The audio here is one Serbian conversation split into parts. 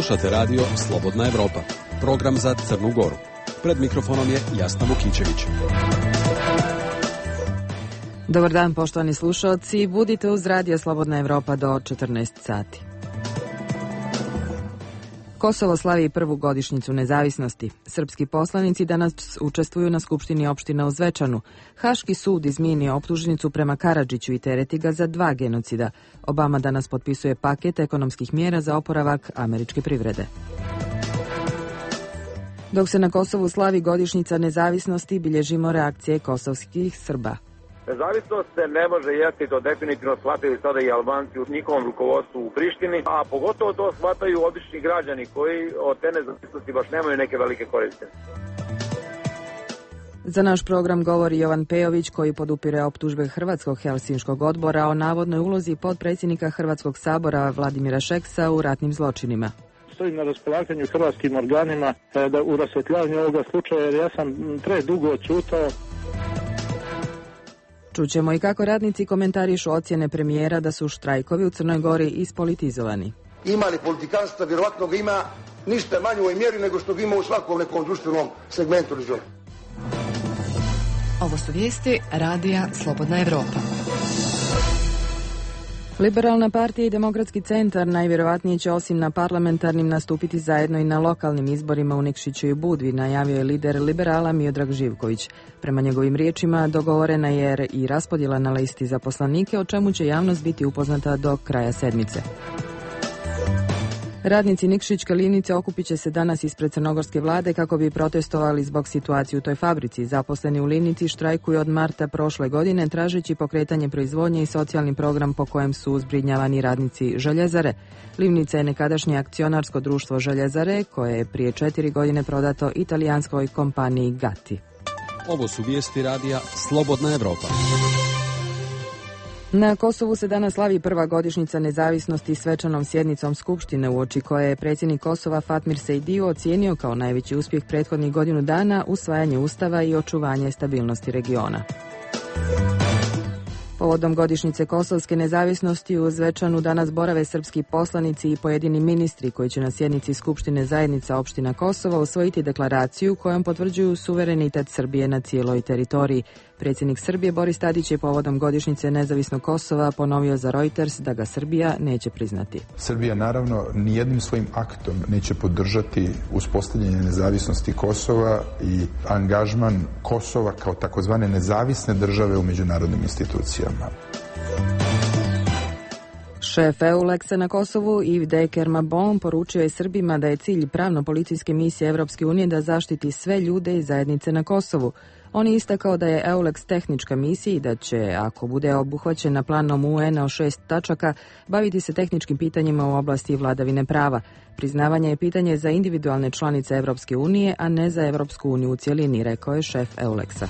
Slušate radio Slobodna Evropa, program za Crnu Goru. Pred mikrofonom je Jasna Vukićević. Dobar dan, poštovani slušalci. Budite uz radio Slobodna Evropa do 14 sati. Kosovo slavi prvu godišnjicu nezavisnosti. Srpski poslanici danas učestvuju na Skupštini opština u Zvečanu. Haški sud izmijenio optužnicu prema Karadžiću i tereti ga za 2 genocida. Obama danas potpisuje paket ekonomskih mjera za oporavak američke privrede. Dok se na Kosovu slavi godišnjica nezavisnosti, bilježimo reakcije kosovskih Srba. Nezavisnost se ne može jesti, to definitivno shvataju sada i Albanci u njihovom rukovodstvu u Prištini, a pogotovo to shvataju obični građani koji od te nezavisnosti baš nemaju neke velike koriste. Za naš program govori Jovan Pejović, koji podupire optužbe Hrvatskog Helsinškog odbora o navodnoj ulozi potpredsjednika Hrvatskog sabora Vladimira Šeksa u ratnim zločinima. Stojim na raspolaganju hrvatskim organima da u rasvjetljavanju ovoga slučaja, jer ja sam predugo ćutao. Čućemo i kako radnici komentarišu ocjene premijera da su štrajkovi u Crnoj Gori ispolitizovani. Ima li politikanstva? Vjerovatno ga ima ništa manje u ovoj mjeri nego što ga ima u svakom nekom društvenom segmentu regiona. Ovo su vijesti Radija Slobodna Evropa. Liberalna partija i Demokratski centar najvjerovatnije će osim na parlamentarnim nastupiti zajedno i na lokalnim izborima u Nikšiću i Budvi, najavio je lider liberala Miodrag Živković. Prema njegovim riječima dogovorena je i raspodjela na listi za poslanike, o čemu će javnost biti upoznata do kraja sedmice. Radnici Nikšićke livnice okupit će se danas ispred crnogorske vlade kako bi protestovali zbog situacije u toj fabrici. Zaposleni u livnici štrajkuju od marta prošle godine tražeći pokretanje proizvodnje i socijalni program po kojem su zbrinjavani radnici Željezare. Livnica je nekadašnje akcionarsko društvo Željezare koje je prije 4 godine prodato italijanskoj kompaniji Gatti. Ovo su vijesti radija Slobodna Evropa. Na Kosovu se danas slavi prva godišnjica nezavisnosti svečanom sjednicom Skupštine, uoči koje je predsjednik Kosova Fatmir Sejdiu ocijenio kao najveći uspjeh prethodnih godinu dana usvajanje ustava i očuvanje stabilnosti regiona. Povodom godišnjice kosovske nezavisnosti u Zvečanu danas borave srpski poslanici i pojedini ministri koji će na sjednici Skupštine zajednica opština Kosova usvojiti deklaraciju kojom potvrđuju suverenitet Srbije na cijeloj teritoriji. Predsjednik Srbije Boris Tadić je povodom godišnjice nezavisnog Kosova ponovio za Reuters da ga Srbija neće priznati. Srbija naravno nijednim svojim aktom neće podržati uspostavljanje nezavisnosti Kosova i angažman Kosova kao takozvane nezavisne države u međunarodnim institucijama. Šef EULEX-a na Kosovu Yves de Kermabon poručio je Srbima da je cilj pravno-policijske misije Evropske unije da zaštiti sve ljude i zajednice na Kosovu. On je istakao da je EULEX tehnička misija i da će, ako bude obuhvaćena planom UN-a o 6 tačaka, baviti se tehničkim pitanjima u oblasti vladavine prava. Priznavanje je pitanje za individualne članice Evropske unije, a ne za Evropsku uniju u cjelini, rekao je šef EULEX-a.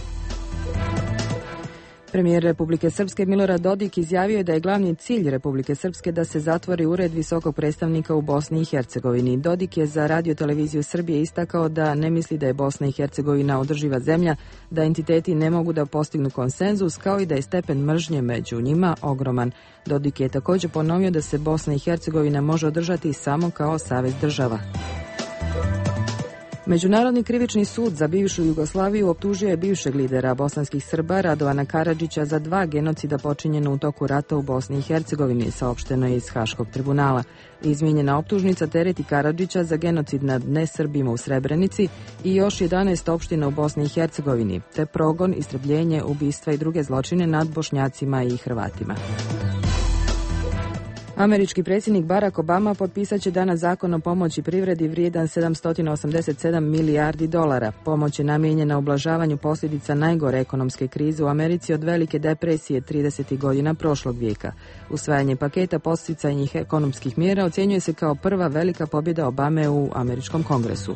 Premijer Republike Srpske Milorad Dodik izjavio je da je glavni cilj Republike Srpske da se zatvori ured visokog predstavnika u Bosni i Hercegovini. Dodik je za Radio-televiziju Srbije istakao da ne misli da je Bosna i Hercegovina održiva zemlja, da entiteti ne mogu da postignu konsenzus, kao i da je stepen mržnje među njima ogroman. Dodik je također ponovio da se Bosna i Hercegovina može održati samo kao savez država. Međunarodni krivični sud za bivšu Jugoslaviju optužio je bivšeg lidera bosanskih Srba Radovana Karadžića za 2 genocida počinjena u toku rata u Bosni i Hercegovini, saopšteno je iz Haškog tribunala. Izmijenjena optužnica tereti Karadžića za genocid nad nesrbima u Srebrenici i još 11 opština u Bosni i Hercegovini, te progon, istrebljenje, ubistva i druge zločine nad Bošnjacima i Hrvatima. Američki predsjednik Barack Obama potpisat će danas zakon o pomoći privredi vrijedan $787 milijardi. Pomoć je namijenjena ublažavanju posljedica najgore ekonomske krize u Americi od velike depresije 30. godina prošlog vijeka. Usvajanje paketa podsticajnih ekonomskih mjera ocjenjuje se kao prva velika pobjeda Obame u američkom kongresu.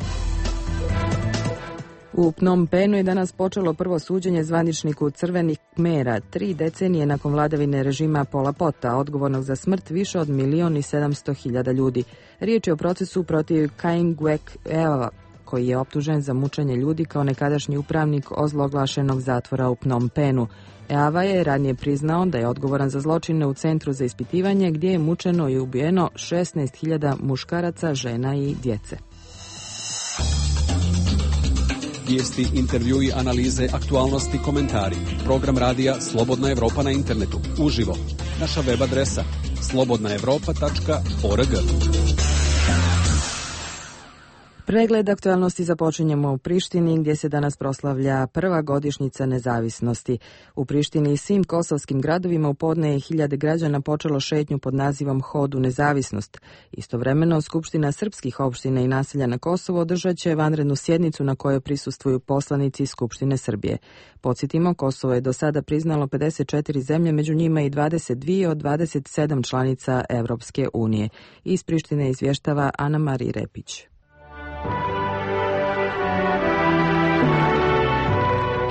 U Phnom Penhu je danas počelo prvo suđenje zvaničniku Crvenih Khmera, 3 decenije nakon vladavine režima Pola Pota, odgovornog za smrt više od 1.700.000 ljudi. Riječ je o procesu protiv Kaingwek Eva, koji je optužen za mučenje ljudi kao nekadašnji upravnik ozloglašenog zatvora u Phnom Penhu. Eava je ranije priznao da je odgovoran za zločine u centru za ispitivanje gdje je mučeno i ubijeno 16.000 muškaraca, žena i djece. Vijesti, intervjui, analize, aktualnosti, komentari. Program radija Slobodna Evropa na internetu. Uživo. Naša web adresa slobodnaevropa.org. Pregled aktualnosti započinjemo u Prištini gdje se danas proslavlja prva godišnjica nezavisnosti. U Prištini i svim kosovskim gradovima u podne je hiljade građana počelo šetnju pod nazivom Hod u nezavisnost. Istovremeno, Skupština srpskih opština i naselja na Kosovu održat će vanrednu sjednicu na kojoj prisustvuju poslanici Skupštine Srbije. Podsjetimo, Kosovo je do sada priznalo 54 zemlje, među njima i 22 od 27 članica Evropske unije. Iz Prištine izvještava Ana Marija Repić.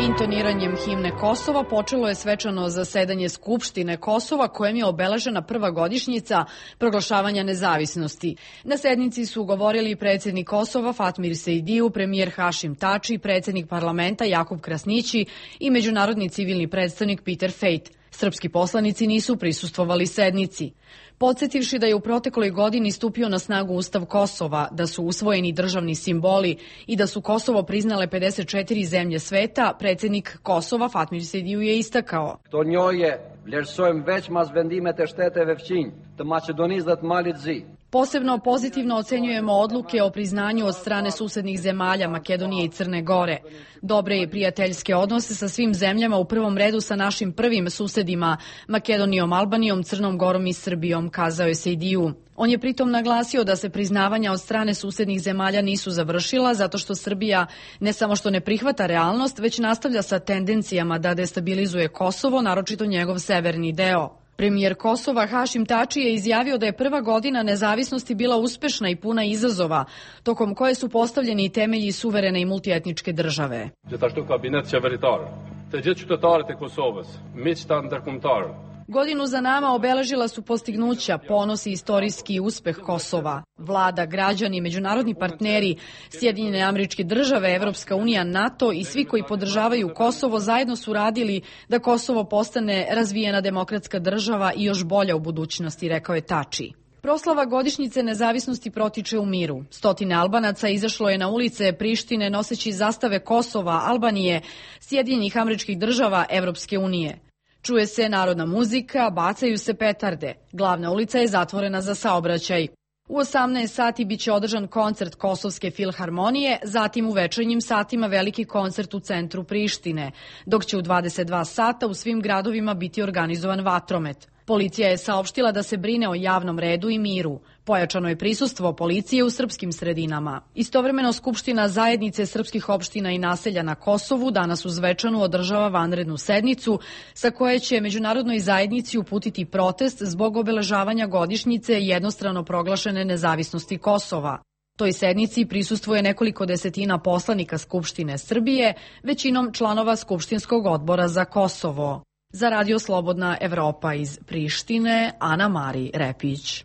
Intoniranjem himne Kosova počelo je svečano zasedanje Skupštine Kosova kojem je obeležena prva godišnjica proglašavanja nezavisnosti. Na sednici su govorili predsjednik Kosova Fatmir Sejdiju, premijer Hašim Tači, predsjednik parlamenta Jakub Krasnići i međunarodni civilni predstavnik Peter Fejt. Srpski poslanici nisu prisustvovali sednici. Podsjetivši da je u protekloj godini stupio na snagu Ustav Kosova, da su usvojeni državni simboli i da su Kosovo priznale 54 zemlje sveta, predsjednik Kosova Fatmir Sejdiju je istakao: Këto njohje vlerësojmë veç mas vendimet e shteteve fqinj të Maqedonisë dhe të Malit Zi. Posebno pozitivno ocenjujemo odluke o priznanju od strane susednih zemalja Makedonije i Crne Gore. Dobre i prijateljske odnose sa svim zemljama, u prvom redu sa našim prvim susedima, Makedonijom, Albanijom, Crnom Gorom i Srbijom, kazao je Sejdiju. On je pritom naglasio da se priznavanja od strane susednih zemalja nisu završila zato što Srbija ne samo što ne prihvata realnost, već nastavlja sa tendencijama da destabilizuje Kosovo, naročito njegov severni deo. Premijer Kosova Hašim Tači je izjavio da je prva godina nezavisnosti bila uspešna i puna izazova, tokom koje su postavljeni temelji suverene i multietničke države. Gjithashtu kabinet qeveritar, të gjithë qytetarët e Kosovës, miqtë ndërkombëtar. Godinu za nama obeležila su postignuća, ponos i istorijski uspeh Kosova. Vlada, građani, međunarodni partneri, Sjedinjene Američke Države, Evropska unija, NATO i svi koji podržavaju Kosovo zajedno su radili da Kosovo postane razvijena demokratska država i još bolja u budućnosti, rekao je Tači. Proslava godišnjice nezavisnosti protiče u miru. Stotine Albanaca izašlo je na ulice Prištine noseći zastave Kosova, Albanije, Sjedinjenih Američkih Država, Evropske unije. Čuje se narodna muzika, bacaju se petarde. Glavna ulica je zatvorena za saobraćaj. U 18 sati biće održan koncert Kosovske filharmonije, zatim u večernjim satima veliki koncert u centru Prištine, dok će u 22 sata u svim gradovima biti organizovan vatromet. Policija je saopštila da se brine o javnom redu i miru. Pojačano je prisustvo policije u srpskim sredinama. Istovremeno Skupština zajednice srpskih opština i naselja na Kosovu danas uz večanu održava vanrednu sednicu sa koje će međunarodnoj zajednici uputiti protest zbog obeležavanja godišnjice jednostrano proglašene nezavisnosti Kosova. Toj sednici prisustvuje nekoliko desetina poslanika Skupštine Srbije, većinom članova Skupštinskog odbora za Kosovo. Za Radio Slobodna Evropa iz Prištine, Ana Marija Repić.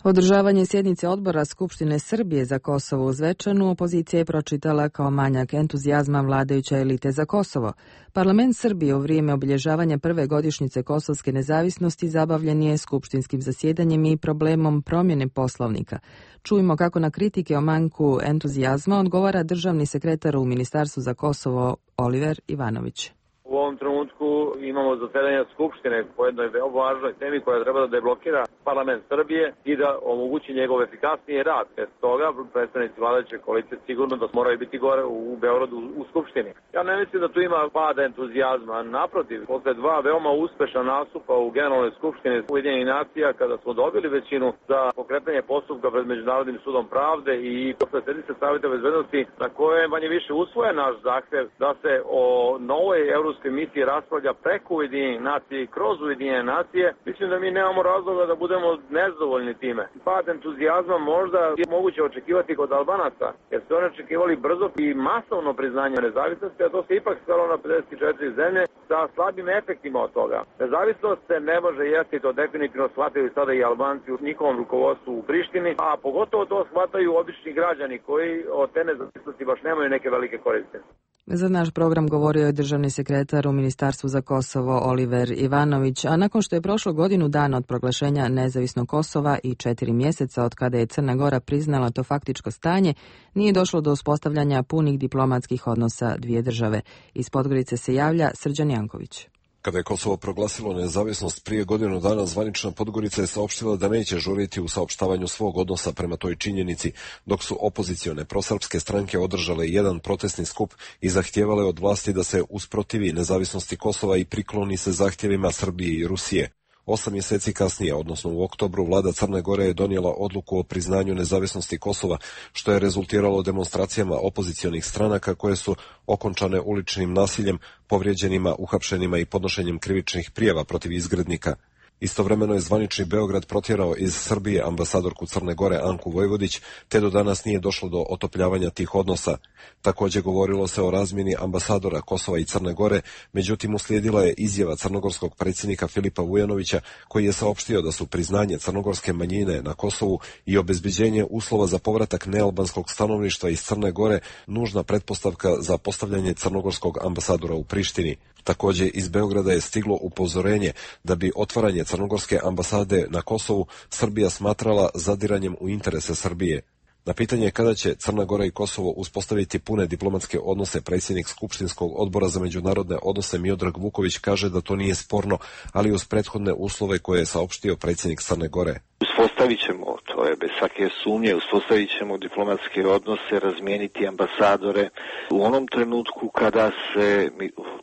Održavanje sjednice odbora Skupštine Srbije za Kosovo uz večanu opozicija je pročitala kao manjak entuzijazma vladajuće elite za Kosovo. Parlament Srbije u vrijeme obilježavanja prve godišnjice kosovske nezavisnosti zabavljen je skupštinskim zasjedanjem i problemom promjene poslovnika. Čujmo kako na kritike o manjku entuzijazma odgovara državni sekretar u Ministarstvu za Kosovo Oliver Ivanović. U ovom trenutku imamo zasedanje Skupštine po jednoj veoma važnoj temi koja treba da deblokira parlament Srbije i da omogući njegov efikasniji rad. Bez toga predstavnici vladajuće koalicije sigurno da moraju biti gore u Beogradu u Skupštini. Ja ne mislim da tu ima pada entuzijazma. Naprotiv, posle dva veoma uspešna nastupa u Generalnoj skupštini Ujedinjenih nacija kada smo dobili većinu za pokretanje postupka pred Međunarodnim sudom pravde i posle sednice Saveta bezbednosti na koje je manje više usvojen naš zahtev da se o novoj evropskoj Evropskoj misiji raspravlja preko Ujedinjenih nacija i kroz Ujedinjene nacije, mislim da mi nemamo razloga da budemo nezadovoljni time. Pad entuzijazma možda je moguće očekivati kod Albanaca, jer su oni očekivali brzo i masovno priznanje nezavisnosti, a to se ipak svelo na 54 zemlje sa slabim efektima od toga. Nezavisnost se ne može jesti, to definitivno shvataju sada i Albanci u njihovom rukovodstvu u Prištini, a pogotovo to shvataju obični građani koji od te nezavisnosti baš nemaju neke velike koriste. Za naš program govorio je državni sekretar u Ministarstvu za Kosovo Oliver Ivanović, a nakon što je prošlo godinu dana od proglašenja nezavisnog Kosova i 4 mjeseca od kada je Crna Gora priznala to faktičko stanje, nije došlo do uspostavljanja punih diplomatskih odnosa dvije države. Iz Podgorice se javlja Srđan Janković. Kada je Kosovo proglasilo nezavisnost prije godinu dana, zvanična Podgorica je saopštila da neće žuriti u saopštavanju svog odnosa prema toj činjenici, dok su opozicione prosrpske stranke održale jedan protestni skup i zahtijevale od vlasti da se usprotivi nezavisnosti Kosova i prikloni se zahtjevima Srbije i Rusije. 8 mjeseci kasnije, odnosno u oktobru, vlada Crne Gore je donijela odluku o priznanju nezavisnosti Kosova, što je rezultiralo demonstracijama opozicionih stranaka koje su okončane uličnim nasiljem, povrijeđenima, uhapšenima i podnošenjem krivičnih prijava protiv izgrednika. Istovremeno je zvanični Beograd protjerao iz Srbije ambasadorku Crne Gore Anku Vojvodić, te do danas nije došlo do otopljavanja tih odnosa. Također govorilo se o razmjeni ambasadora Kosova i Crne Gore, međutim uslijedila je izjava crnogorskog predsjednika Filipa Vujanovića, koji je saopštio da su priznanje crnogorske manjine na Kosovu i obezbeđenje uslova za povratak nealbanskog stanovništva iz Crne Gore nužna pretpostavka za postavljanje crnogorskog ambasadora u Prištini. Također iz Beograda je stiglo upozorenje da bi otvaranje crnogorske ambasade na Kosovu Srbija smatrala zadiranjem u interese Srbije. Na pitanje kada će Crna Gora i Kosovo uspostaviti pune diplomatske odnose, predsjednik Skupštinskog odbora za međunarodne odnose Miodrag Vuković kaže da to nije sporno, ali uz prethodne uslove koje je saopštio predsjednik Crne Gore. Uspostavit ćemo, to je bez svake sumnje, uspostavit ćemo diplomatske odnose, razmijeniti ambasadore u onom trenutku kada se,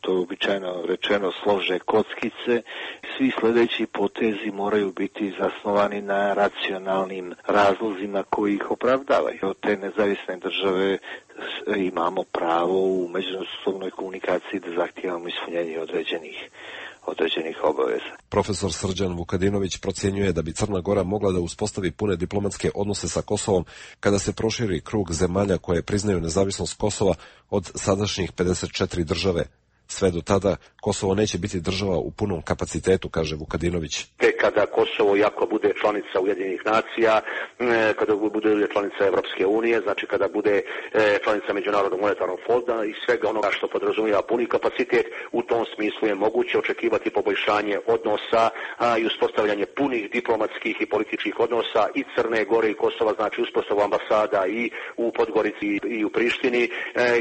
to je običajno rečeno, slože kockice. Svi sljedeći potezi moraju biti zasnovani na racionalnim razlozima koji ih opravdavaju. Od te nezavisne države imamo pravo u međusobnoj komunikaciji da zahtijevamo ispunjenje određenih obaveza. Profesor Srđan Vukadinović procjenjuje da bi Crna Gora mogla da uspostavi pune diplomatske odnose sa Kosovom kada se proširi krug zemalja koje priznaju nezavisnost Kosova od sadašnjih 54 države. Sve do tada Kosovo neće biti država u punom kapacitetu, kaže Vukadinović. Kada Kosovo jako bude članica Ujedinjenih nacija, kada bude članica Evropske unije, znači kada bude članica Međunarodnog monetarnog fonda i svega onoga što podrazumijeva puni kapacitet, u tom smislu je moguće očekivati poboljšanje odnosa i uspostavljanje punih diplomatskih i političkih odnosa i Crne Gore i Kosova, znači uspostavu ambasada i u Podgorici i u Prištini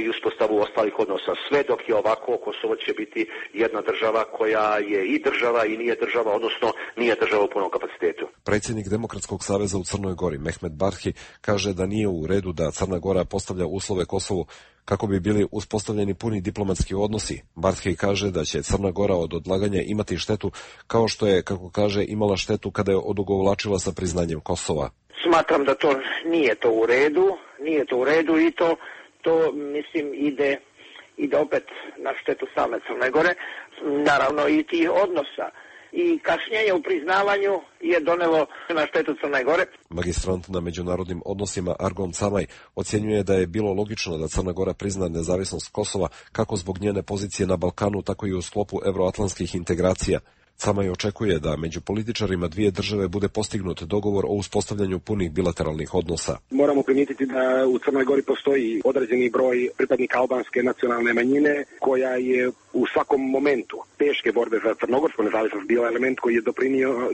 i uspostavu ostalih odnosa. Sve dok je ovako, Kosovo će biti jedna država koja je i država i nije država, odnosno nije država u punom kapacitetu. Predsjednik Demokratskog saveza u Crnoj Gori, Mehmet Barhi, kaže da nije u redu da Crna Gora postavlja uslove Kosovu kako bi bili uspostavljeni puni diplomatski odnosi. Barhi kaže da će Crna Gora od odlaganja imati štetu kao što je, kako kaže, imala štetu kada je odugovlačila sa priznanjem Kosova. Smatram da to nije u redu i to mislim ide opet na štetu same Crne Gore, naravno i tih odnosa. I kašnjenje u priznavanju je donelo na štetu Crne Gore. Magistrant na međunarodnim odnosima Argon Camaj ocjenjuje da je bilo logično da Crna Gora prizna nezavisnost Kosova kako zbog njene pozicije na Balkanu, tako i u sklopu euroatlantskih integracija. Camaj očekuje da među političarima dvije države bude postignut dogovor o uspostavljanju punih bilateralnih odnosa. Moramo primijetiti da u Crnoj Gori postoji određeni broj pripadnika albanske nacionalne manjine koja je u svakom momentu teške borbe za crnogorsku nezavisnost bila element koji je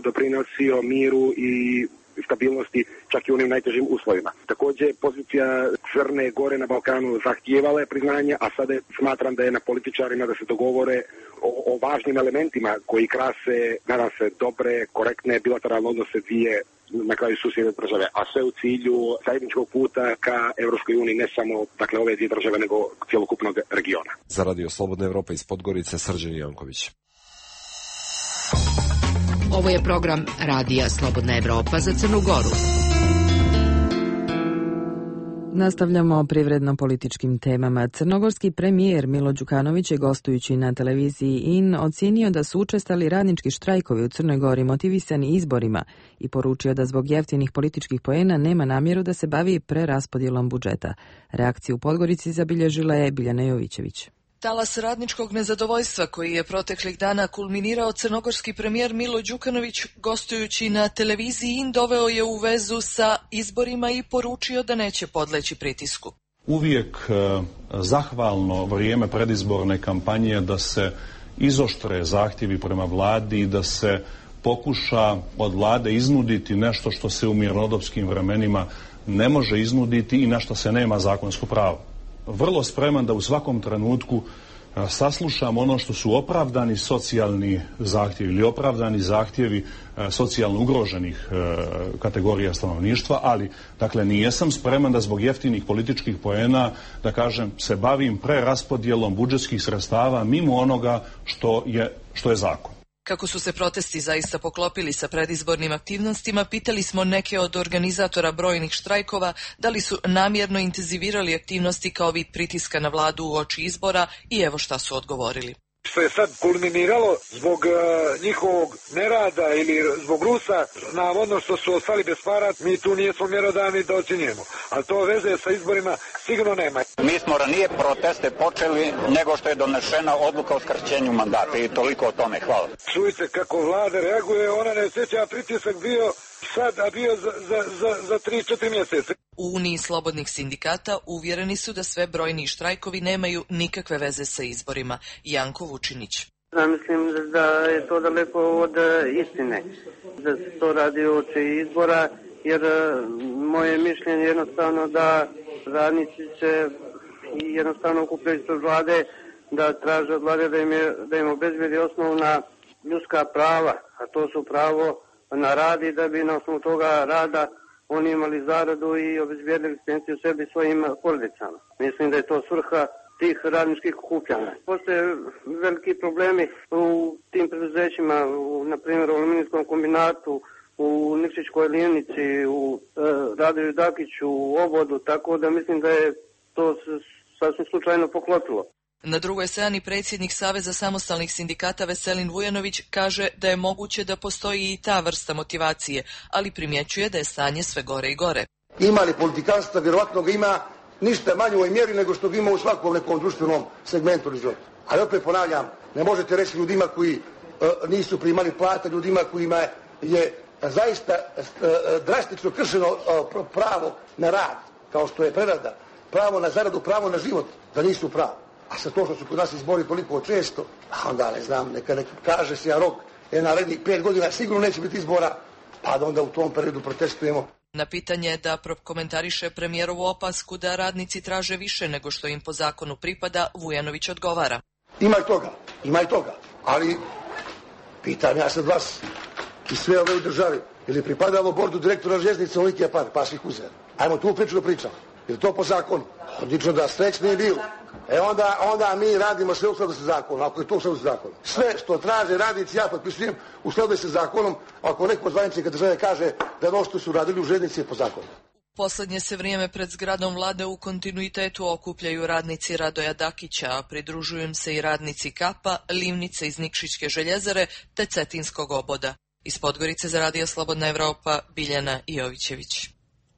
doprinosio miru i stabilnosti čak i u onim najtežim uslovima. Također pozicija Crne Gore na Balkanu zahtijevala je priznanje, a sada smatram da je na političarima da se dogovore o važnim elementima koji krase, nadam se, dobre, korektne bilateralne odnose dvije na kraju susjedne države, a sve u cilju zajedničkog puta ka Evropskoj uniji, ne samo ove dvije države, nego cjelokupnog regiona. Za Radio Slobodna Evropa iz Podgorice, Srđan Janković. Ovo je program Radija Slobodna Evropa za Crnu Goru. Nastavljamo privredno-političkim temama. Crnogorski premijer Milo Đukanović je gostujući na televiziji IN ocenio da su učestali radnički štrajkovi u Crnoj Gori motivisani izborima i poručio da zbog jeftinih političkih poena nema namjeru da se bavi preraspodjelom budžeta. Reakciju u Podgorici zabilježila je Biljana Jovićević. Talas radničkog nezadovoljstva koji je proteklih dana kulminirao crnogorski premijer Milo Đukanović gostujući na televiziji IN doveo je u vezu sa izborima i poručio da neće podleći pritisku. Uvijek zahvalno vrijeme predizborne kampanje da se izoštre zahtjevi prema vladi i da se pokuša od vlade iznuditi nešto što se u mirnodopskim vremenima ne može iznuditi i na što se nema zakonsko pravo. Vrlo spreman da u svakom trenutku saslušam ono što su opravdani socijalni zahtjevi ili opravdani zahtjevi socijalno ugroženih kategorija stanovništva, ali dakle nijesam spreman da zbog jeftinih političkih poena, da kažem, se bavim preraspodjelom budžetskih sredstava mimo onoga što je zakon. Kako su se protesti zaista poklopili sa predizbornim aktivnostima, pitali smo neke od organizatora brojnih štrajkova da li su namjerno intenzivirali aktivnosti kao vid pritiska na vladu uoči izbora i evo šta su odgovorili. Što je sad kulminiralo zbog njihovog nerada ili zbog Rusa, navodno što su ostali bez para, mi tu nismo mjerodavni da ocjenjujemo. Ali to veze sa izborima sigurno nema. Mi smo ranije proteste počeli nego što je donešena odluka o skraćenju mandata i toliko o tome. Hvala. Čujte kako vlada reaguje, ona ne sjeća pritisak bio sad, a bio za 3-4 mjeseca. U Uniji slobodnih sindikata uvjereni su da sve brojni štrajkovi nemaju nikakve veze sa izborima. Janko Vučinić. Ja mislim da je to daleko od istine, da se to radi uoči izbora, jer moje mišljenje je jednostavno da radnici će jednostavno okupljaju ispred vlade, da traže od vlade da im obezbedi osnovna ljudska prava, a to su pravo na rad i da bi na osnovu toga rada oni imali zaradu i obezbijedili egzistenciju sebi i svojim porodicama. Mislim da je to svrha tih radničkih okupljanja. Postoje veliki problemi u tim preduzećima, na primjer u aluminijskom kombinatu, u Nikšićkoj livnici, u Radoju Dakiću, u Obodu, tako da mislim da je to sasvim slučajno poklopilo. Na drugoj strani predsjednik Saveza samostalnih sindikata Veselin Vujanović kaže da je moguće da postoji i ta vrsta motivacije, ali primjećuje da je stanje sve gore i gore. Ima li politikanstva, vjerovatno ga ima ništa manje u ovoj mjeri nego što ga ima u svakom nekom društvenom segmentu života. Ali opet ponavljam, ne možete reći ljudima koji nisu primali plate, ljudima kojima je zaista drastično kršeno pravo na rad, kao što je prerada, pravo na zaradu, pravo na život, da nisu pravo. A sa to što su kod nas izbori toliko često, onda ne znam, neka kaže se rok, narednih 5 godina sigurno neće biti izbora, pa da onda u tom periodu protestujemo. Na pitanje da prokomentariše premijerovu opasku da radnici traže više nego što im po zakonu pripada, Vujanović odgovara. Ima i toga, ali pitam ja sad vas i sve ove u državi, ili pripadalo bordu direktora željeznice onoliki par, pa svih uzeli. Ajmo tu priču da pričamo. Je to po zakonu? Odlično da srećni je bilo. Onda mi radimo sve u skladu sa zakonom, ako je to u skladu sa zakonom. Sve što traže radnici, ja potpisujem u skladu sa zakonom, ako neko od zvaničnika države kaže da ono što su radili u željeznici je po zakonu. Posljednje se vrijeme pred zgradom vlade u kontinuitetu okupljaju radnici Radoja Dakića, a pridružuju im se i radnici Kapa, Livnice iz Nikšićke željezare te Cetinskog Oboda. Iz Podgorice za Radio Slobodna Evropa, Biljana Jovićević.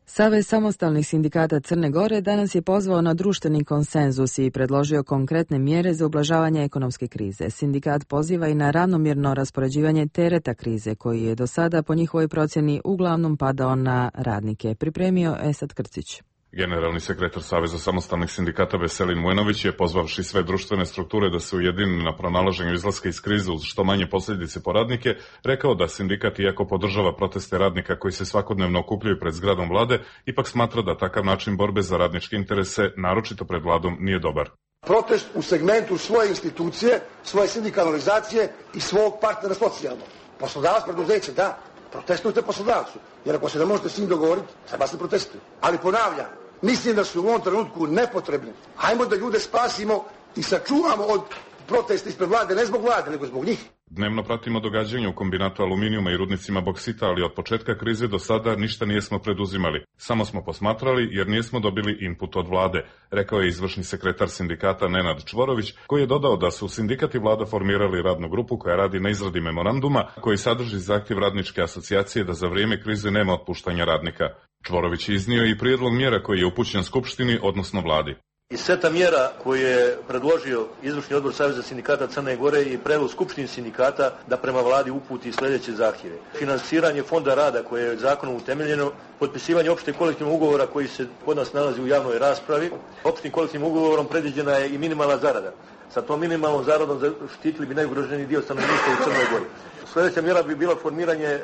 Savez samostalnih sindikata Crne Gore danas je pozvao na društveni konsenzus i predložio konkretne mjere za ublažavanje ekonomske krize. Sindikat poziva i na ravnomjerno raspoređivanje tereta krize, koji je do sada po njihovoj procjeni uglavnom padao na radnike. Pripremio Esad Krcić. Generalni sekretar Saveza samostalnih sindikata Veselin Vujanović je, pozvavši sve društvene strukture da se ujedine na pronalaženju izlaska iz krize uz što manje posljedice po radnike, rekao da sindikat, iako podržava proteste radnika koji se svakodnevno okupljaju pred zgradom vlade, ipak smatra da takav način borbe za radničke interese, naročito pred vladom, nije dobar. Protest u segmentu svoje institucije, svoje sindikalnizacije i svog partnera socijalnog. Poslodavac, preduzeće, da, protestujte poslodavcu, jer ako se ne možete s njim dogovoriti, treba se protestuje. Ali ponavljam, mislim da su u ovom trenutku nepotrebni. Hajmo da ljude spasimo i sačuvamo od protesta ispred vlade, ne zbog vlade, nego zbog njih. Dnevno pratimo događanja u kombinatu aluminijuma i rudnicima boksita, ali od početka krize do sada ništa nijesmo preduzimali. Samo smo posmatrali jer nismo dobili input od vlade, rekao je izvršni sekretar sindikata Nenad Čvorović, koji je dodao da su sindikat i vlada formirali radnu grupu koja radi na izradi memoranduma koji sadrži zahtjev radničke asocijacije da za vrijeme krize nema otpuštanja radnika. Čvorović je iznio i prijedlog mjera koji je upućen Skupštini, odnosno vladi. Iz seta mjera koje je predložio izvršni odbor Saveza sindikata Crne Gore i predlog Skupštine sindikata da prema vladi uputi sljedeće zahtjeve. Finansiranje fonda rada koje je zakonom utemeljeno, potpisivanje opšteg kolektivnog ugovora koji se kod nas nalazi u javnoj raspravi. Opštim kolektivnim ugovorom predviđena je i minimalna zarada. Sa tom minimalnom zaradom zaštitili bi najugroženiji dio stanovništva u Crnoj Gori. Sljedeća mjera bi bila formiranje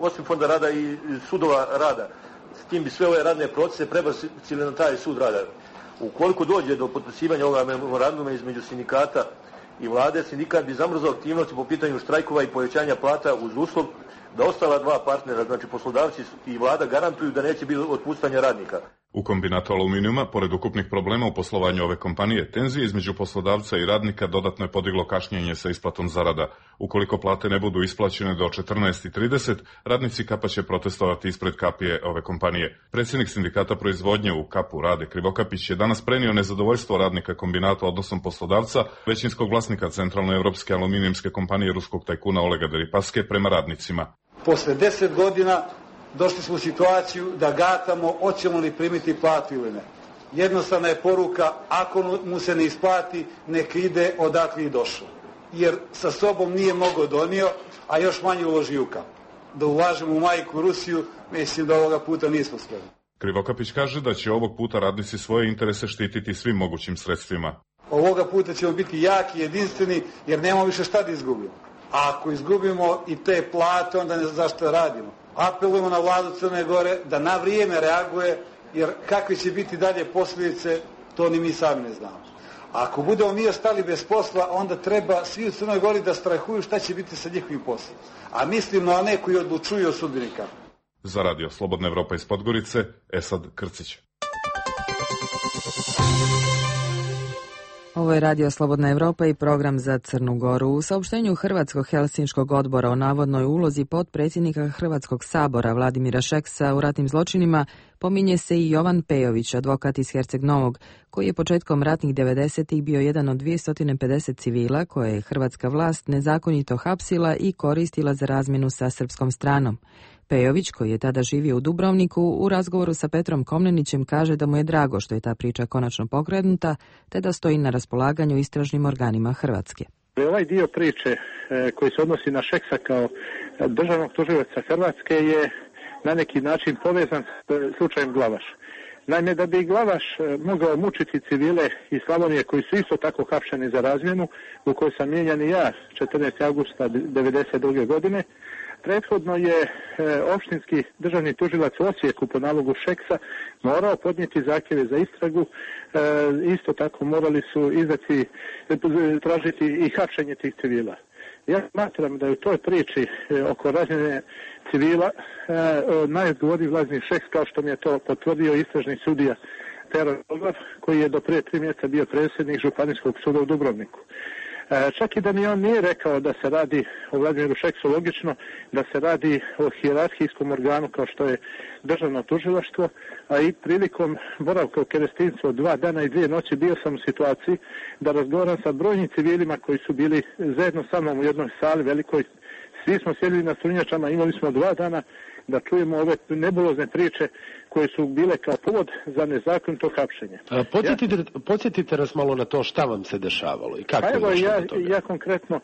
osim fonda rada i sudova rada. S tim bi sve ove radne procese prebacili na taj sud rada. Ukoliko dođe do potpisivanja ovoga memoranduma između sindikata i vlade, sindikat bi zamrzao aktivnosti po pitanju štrajkova i povećanja plata uz uslov da ostala dva partnera, znači poslodavci i vlada, garantuju da neće biti otpuštanja radnika. U kombinatu aluminijuma, pored ukupnih problema u poslovanju ove kompanije, tenzije između poslodavca i radnika dodatno je podiglo kašnjenje sa isplatom zarada. Ukoliko plate ne budu isplaćene do 14:30, radnici Kapa će protestovati ispred kapije ove kompanije. Predsjednik sindikata proizvodnje u Kapu Rade Krivokapić je danas prenio nezadovoljstvo radnika kombinata odnosom poslodavca, većinskog vlasnika centralnoevropske aluminijumske kompanije ruskog tajkuna Olega Deripaske prema radnicima. Posle 10 godina došli smo u situaciju da gatamo hoćemo li primiti platu ili ne. Jednostavna je poruka, ako mu se ne isplati, nek ide odakle je došao. Jer sa sobom nije mnogo donio, a još manje uloži u Kap. Da ulažemo u majku Rusiju, mislim da ovoga puta nismo spremni. Krivokapić kaže da će ovog puta radnici svoje interese štititi svim mogućim sredstvima. Ovoga puta ćemo biti jaki, jedinstveni, jer nemamo više šta da izgubimo. A ako izgubimo i te plate, onda ne znam zašto radimo. Apelujemo na vladu Crne Gore da na vrijeme reaguje, jer kakve će biti dalje posljedice, to ni mi sami ne znamo. A ako budemo mi ostali bez posla, onda treba svi u Crnoj Gori da strahuju šta će biti sa njihovim poslom. A mislim na one koji odlučuju o sudbini Kape. Za radio Slobodna Evropa iz Podgorice, Esad Krcić. Ovo je Radio Slobodna Evropa i program za Crnu Goru. U saopštenju Hrvatskog Helsinškog odbora o navodnoj ulozi potpredsjednika Hrvatskog sabora Vladimira Šeksa u ratnim zločinima pominje se i Jovan Pejović, advokat iz Herceg Novog, koji je početkom ratnih 90-ih bio jedan od 250 civila koje je hrvatska vlast nezakonito hapsila i koristila za razmjenu sa srpskom stranom. Pejović, koji je tada živio u Dubrovniku, u razgovoru sa Petrom Komnenićem kaže da mu je drago što je ta priča konačno pokrenuta, te da stoji na raspolaganju istražnim organima Hrvatske. Ovaj dio priče koji se odnosi na Šeksa kao državnog tužioca Hrvatske je na neki način povezan s slučajem Glavaš. Naime, da bi Glavaš mogao mučiti civile iz Slavonije koji su isto tako hapšeni za razmjenu, u kojoj sam mijenjan i ja 14. augusta 1992. godine, prethodno je opštinski državni tužilac u Osijeku po nalogu Šeksa morao podnijeti zahtjeve za istragu, isto tako morali su tražiti i hapšenje tih civila. Ja smatram da je u toj priči oko razmjene civila najodgovorniji Vladimir Šeks, kao što mi je to potvrdio istražni sudija Pero Dolvar, koji je do prije 3 mjeseca bio predsjednik Županijskog suda u Dubrovniku. Čak i da mi on nije rekao da se radi o Vladimiru Šeksu, logično da se radi o hijerarhijskom organu kao što je državno tužilaštvo, a i prilikom boravka u Kerestincu od 2 dana i 2 noći bio sam u situaciji da razgovaram sa brojnim civilima koji su bili zajedno sa mnom u jednoj sali velikoj. Svi smo sjedili na strunjačama, imali smo 2 dana da čujemo ove nebulozne priče koje su bile kao povod za nezakonito hapšenje. Podsjetite nas malo na to šta vam se dešavalo i kako je došlo do toga. Ja konkretno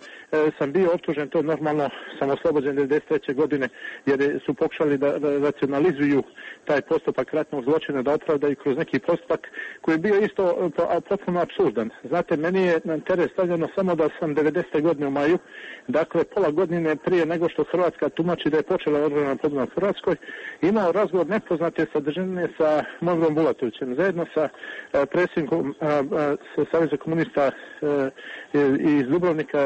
sam bio optužen, to normalno sam oslobođen 1993. godine jer su pokušali da racionalizuju taj postupak ratnog zločina, da opravdaju kroz neki postupak koji je bio isto potpuno apsurdan. Znate, meni je na teret stavljeno samo da sam 90. godine u maju, dakle pola godine prije nego što Hrvatska tumači da je počela odbrana pobuna u Hrvatskoj, imao razgovor nepoznate sa održane sa Mogrom Bulatovićem, zajedno sa predsjednikom Saveza komunista iz Dubrovnika,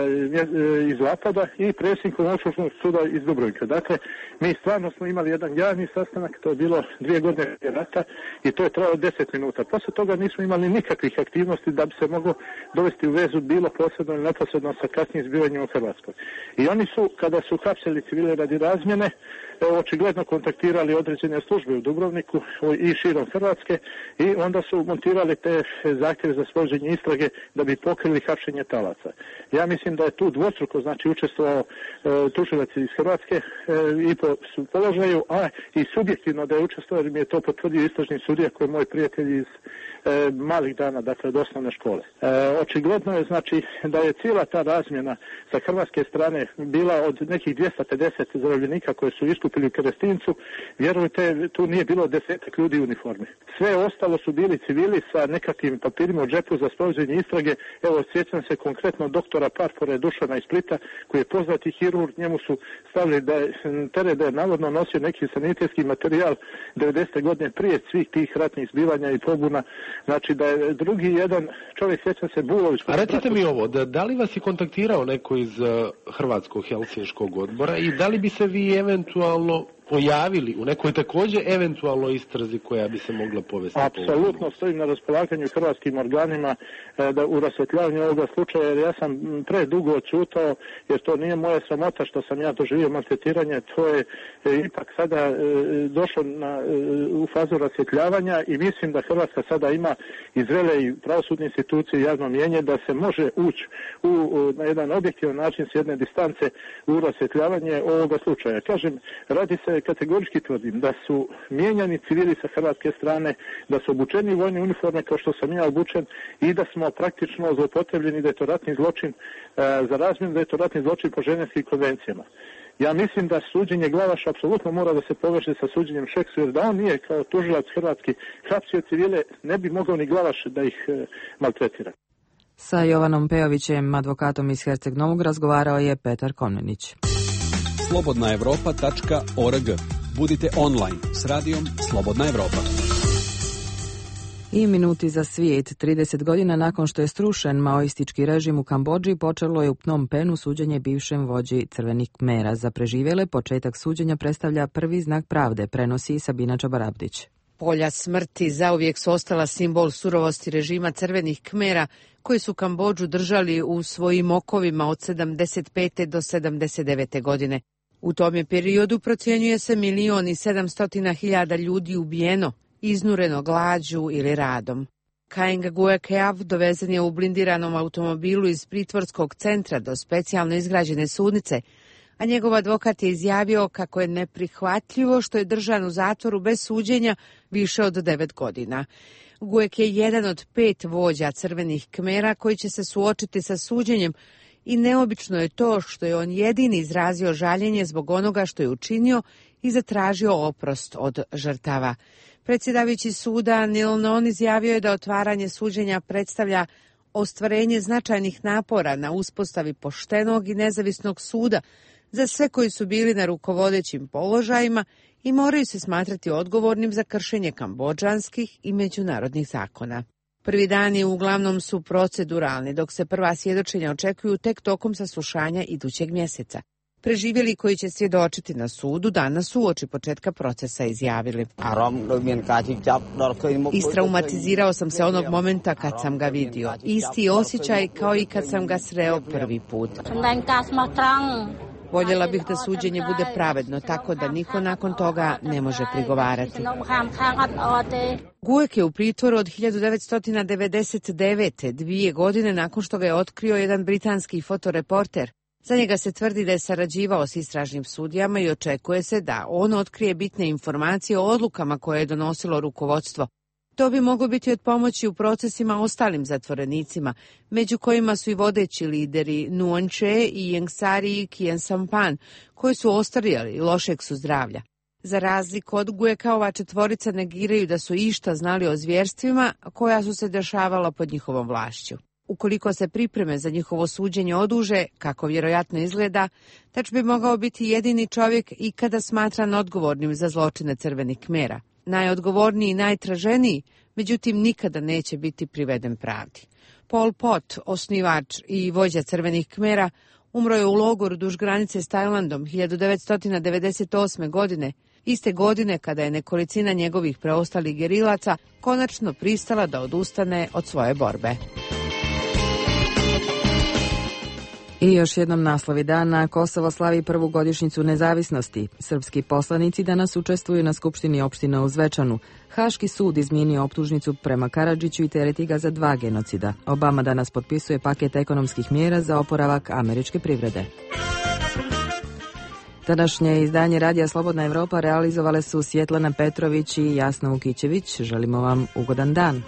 iz Lapada i predsjednikom Okružnog suda iz Dubrovnika. Dakle, mi stvarno smo imali jedan javni sastanak, to je bilo 2 godine rata i to je trajalo 10 minuta. Posle toga nismo imali nikakvih aktivnosti da bi se moglo dovesti u vezu bilo posredno ili neposredno sa kasnijim zbivanjima u Hrvatskoj. I oni su, kada su hapsili civile radi razmjene, očigledno kontaktirali određene službe u Dubrovniku i širom Hrvatske i onda su montirali te zahtjeve za sprovođenje istrage da bi pokrili hapšenje talaca. Ja mislim da je tu dvostruko učestvovao tužilac iz Hrvatske i po položaju, a i subjektivno da je učestvovao, jer mi je to potvrdio istražni sudija koji je moj prijatelj iz malih dana, dakle od osnovne škole. Očigledno je da je cijela ta razmjena sa hrvatske strane bila od nekih 250 zarobljenika koje su iskupili u Kerestincu. Vjerujte, tu nije bilo 10 ljudi u uniformi. Sve ostalo su bili civili sa nekakvim papirima u džepu za sprovođenje istrage. Evo, sjećam se konkretno doktora Parfore Dušana iz Splita, koji je poznati hirurg, njemu su stavili da je navodno nosio neki sanitetski materijal 90. godine prije svih tih ratnih zbivanja i pobuna. Znači da je drugi jedan čovjek, sjećam se, Bulović. A recite mi ovo, da li vas je kontaktirao neko iz Hrvatskog Helsinškog odbora i da li bi se vi eventualno pojavili u nekoj također eventualno istrazi koja bi se mogla povesti? Apsolutno stojim na raspolaganju hrvatskim organima da u rasvjetljavanju ovoga slučaja, jer ja sam predugo odćutao, jer to nije moja sramota što sam ja doživio maltretiranje, to je ipak sada došlo u fazu rasvjetljavanja i mislim da Hrvatska sada ima izvele i pravosudne institucije i javno mnijenje da se može ući na jedan objektivan način s jedne distance u rasvjetljavanje ovoga slučaja. Kažem, radi se, kategorički tvrdim, da su mijenjani civili sa hrvatske strane, da su obučeni vojne uniforme kao što sam ja obučen i da smo praktično zloupotrebljeni, da je to ratni zločin za razmjenu, da je to ratni zločin po ženevskim konvencijama. Ja mislim da suđenje Glavaša apsolutno mora da se poveže sa suđenjem Šeksu, jer da on nije kao tužilac hrvatski hapsio civile, ne bi mogao ni Glavaš da ih maltretira. Sa Jovanom Pejovićem, advokatom iz Herceg Novog, razgovarao je Petar Komnenić. slobodnaevropa.org. Budite online s radijom Slobodna Evropa. I minuti za svijet. 30 godina nakon što je srušen maoistički režim u Kambodži, počelo je u Phnom Penhu suđenje bivšem vođi Crvenih Kmera. Za preživjele početak suđenja predstavlja prvi znak pravde, prenosi Sabina Čabarabdić. Polja smrti zauvijek su ostala simbol surovosti režima Crvenih Kmera, koji su Kambodžu držali u svojim okovima od 75. do 79. godine. U tom je periodu procjenjuje se 1.700.000 ljudi ubijeno, iznureno glađu ili radom. Kaeng Guekeav dovezen je u blindiranom automobilu iz pritvorskog centra do specijalno izgrađene sudnice, a njegov advokat je izjavio kako je neprihvatljivo što je držan u zatvoru bez suđenja više od 9 godina. Guek je jedan od 5 vođa Crvenih Kmera koji će se suočiti sa suđenjem i neobično je to što je on jedini izrazio žaljenje zbog onoga što je učinio i zatražio oprost od žrtava. Predsjedavajući suda Neil Non izjavio je da otvaranje suđenja predstavlja ostvarenje značajnih napora na uspostavi poštenog i nezavisnog suda za sve koji su bili na rukovodećim položajima i moraju se smatrati odgovornim za kršenje kambodžanskih i međunarodnih zakona. Prvi dani uglavnom su proceduralni, dok se prva svjedočenja očekuju tek tokom saslušanja idućeg mjeseca. Preživjeli koji će svjedočiti na sudu danas su uoči početka procesa izjavili. Istraumatizirao sam se onog momenta kad sam ga vidio. Isti osjećaj kao i kad sam ga sreo prvi put. Voljela bih da suđenje bude pravedno, tako da niko nakon toga ne može prigovarati. Guek je u pritvoru od 1999. 2 godine nakon što ga je otkrio jedan britanski fotoreporter. Za njega se tvrdi da je sarađivao s istražnim sudijama i očekuje se da on otkrije bitne informacije o odlukama koje je donosilo rukovodstvo. To bi moglo biti od pomoći u procesima ostalim zatvorenicima, među kojima su i vodeći lideri Nuon Che i Yengsari Kien Sampan, koji su ostarijali i lošeg su zdravlja. Za razliku od Gueka, ova četvorica negiraju da su išta znali o zvjerstvima koja su se dešavala pod njihovom vlašću. Ukoliko se pripreme za njihovo suđenje oduže, kako vjerojatno izgleda, Tač bi mogao biti jedini čovjek ikada smatran odgovornim za zločine Crvenih Kmera. najodgovorniji i najtraženiji, međutim nikada neće biti priveden pravdi. Pol Pot, osnivač i vođa Crvenih Kmera, umro je u logoru duž granice s Tajlandom 1998. godine, iste godine kada je nekolicina njegovih preostalih gerilaca konačno pristala da odustane od svoje borbe. I još jednom naslovi dana. Kosovo slavi prvu godišnjicu nezavisnosti. Srpski poslanici danas učestvuju na Skupštini opština u Zvečanu. Haški sud izmijenio optužnicu prema Karadžiću i tereti ga za 2 genocida. Obama danas potpisuje paket ekonomskih mjera za oporavak američke privrede. Današnje izdanje Radija Slobodna Evropa realizovale su Svjetlana Petrović i Jasna Vukićević. Želimo vam ugodan dan.